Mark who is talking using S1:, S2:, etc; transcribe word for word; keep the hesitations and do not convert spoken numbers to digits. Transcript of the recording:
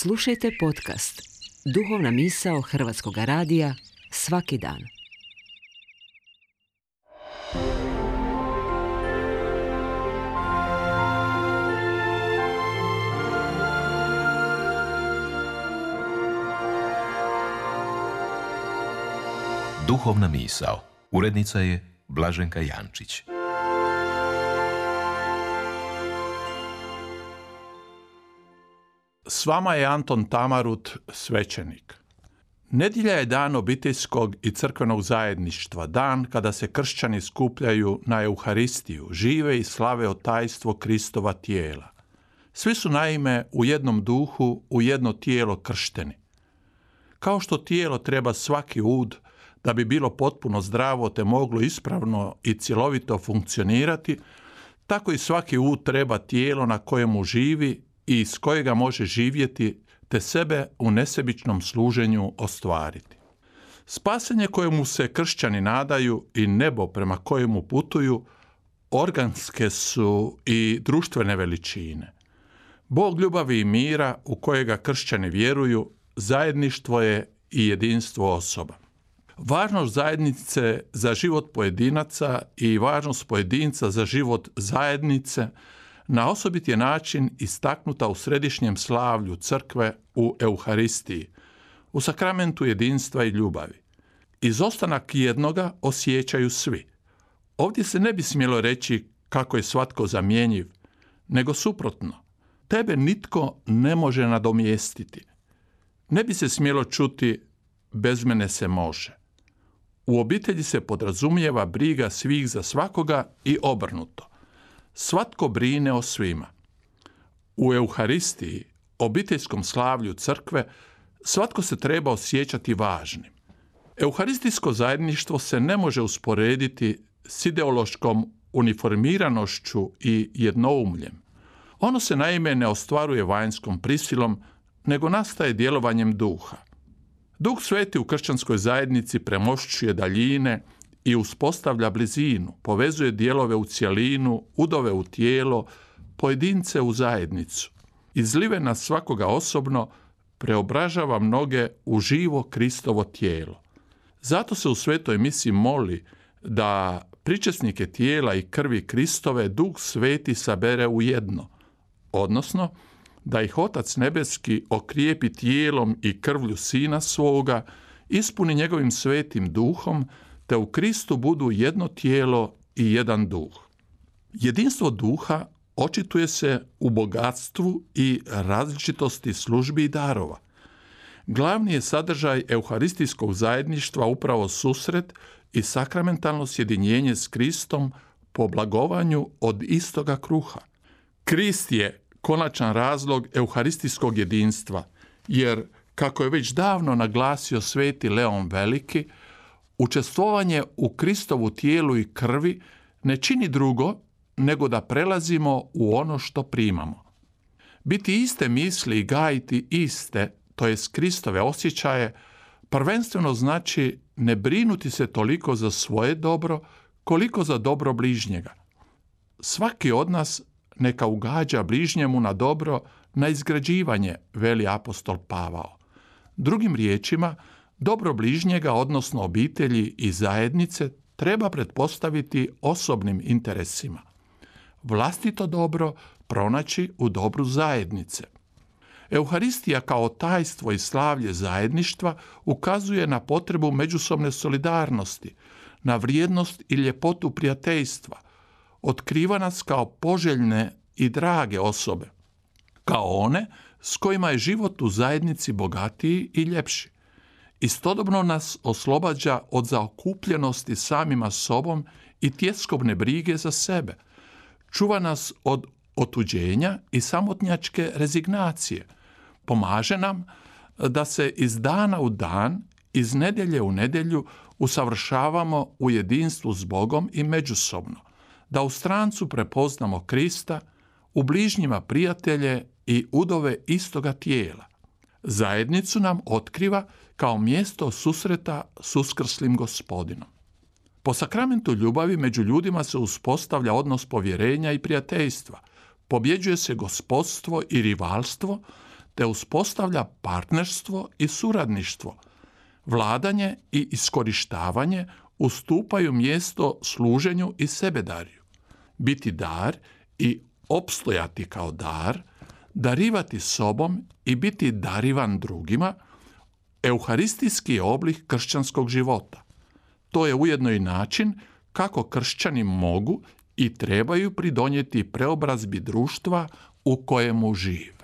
S1: Slušajte podcast Duhovna misao Hrvatskog radija svaki dan.
S2: Duhovna misao. Urednica je Blaženka Jančić.
S3: S vama je Anton Tamarut, svećenik. Nedjelja je dan obiteljskog i crkvenog zajedništva, dan kada se kršćani skupljaju na Euharistiju, žive i slave tajstvo Kristova tijela. Svi su naime u jednom duhu, u jedno tijelo kršteni. Kao što tijelo treba svaki ud da bi bilo potpuno zdravo te moglo ispravno i cjelovito funkcionirati, tako i svaki ud treba tijelo na kojemu živi i iz kojega može živjeti te sebe u nesebičnom služenju ostvariti. Spasenje kojemu se kršćani nadaju i nebo prema kojemu putuju organske su i društvene veličine. Bog ljubavi i mira u kojega kršćani vjeruju zajedništvo je i jedinstvo osoba. Važnost zajednice za život pojedinaca i važnost pojedinca za život zajednice na osobit je način istaknuta u središnjem slavlju crkve u Euharistiji, u sakramentu jedinstva i ljubavi. Izostanak jednoga osjećaju svi. Ovdje se ne bi smjelo reći kako je svatko zamjenjiv, nego suprotno. Tebe nitko ne može nadomjestiti. Ne bi se smjelo čuti bez mene se može. U obitelji se podrazumijeva briga svih za svakoga i obrnuto. Svatko brine o svima. U Euharistiji, obiteljskom slavlju crkve, svatko se treba osjećati važnim. Euharistijsko zajedništvo se ne može usporediti s ideološkom uniformiranošću i jednoumljem. Ono se naime ne ostvaruje vanjskom prisilom, nego nastaje djelovanjem duha. Duh Sveti u kršćanskoj zajednici premošćuje daljine i uspostavlja blizinu, povezuje dijelove u cjelinu, udove u tijelo, pojedince u zajednicu. Izlive na svakoga osobno, preobražava mnoge u živo Kristovo tijelo. Zato se u svetoj misi moli da pričesnike tijela i krvi Kristove Duh Sveti sabere u jedno, odnosno da ih Otac Nebeski okrijepi tijelom i krvlju Sina svoga, ispuni njegovim svetim duhom, te u Kristu budu jedno tijelo i jedan duh. Jedinstvo duha očituje se u bogatstvu i različitosti službi i darova. Glavni je sadržaj euharistijskog zajedništva upravo susret i sakramentalno sjedinjenje s Kristom po blagovanju od istoga kruha. Krist je konačan razlog euharistijskog jedinstva, jer, kako je već davno naglasio sveti Leon Veliki, učestvovanje u Kristovu tijelu i krvi ne čini drugo nego da prelazimo u ono što primamo. Biti iste misli i gajiti iste, to jest Kristove osjećaje, prvenstveno znači ne brinuti se toliko za svoje dobro, koliko za dobro bližnjega. Svaki od nas neka ugađa bližnjemu na dobro, na izgrađivanje, veli apostol Pavao. Drugim riječima, dobro bližnjega, odnosno obitelji i zajednice, treba pretpostaviti osobnim interesima. Vlastito dobro pronaći u dobru zajednice. Euharistija kao tajstvo i slavlje zajedništva ukazuje na potrebu međusobne solidarnosti, na vrijednost i ljepotu prijateljstva, otkriva nas kao poželjne i drage osobe, kao one s kojima je život u zajednici bogatiji i ljepši. Istodobno nas oslobađa od zaokupljenosti samima sobom i tjeskobne brige za sebe. Čuva nas od otuđenja i samotnjačke rezignacije. Pomaže nam da se iz dana u dan, iz nedjelje u nedjelju usavršavamo u jedinstvu s Bogom i međusobno, da u strancu prepoznamo Krista, u bližnjima prijatelje i udove istoga tijela. Zajednicu nam otkriva kao mjesto susreta s uskrslim Gospodinom. Po sakramentu ljubavi među ljudima se uspostavlja odnos povjerenja i prijateljstva, pobjeđuje se gospodstvo i rivalstvo, te uspostavlja partnerstvo i suradništvo. Vladanje i iskorištavanje ustupaju mjesto služenju i sebedarju. Biti dar i opstojati kao dar, darivati sobom i biti darivan drugima, euharistijski je oblik kršćanskog života. To je ujedno i način kako kršćani mogu i trebaju pridonijeti preobrazbi društva u kojemu žive.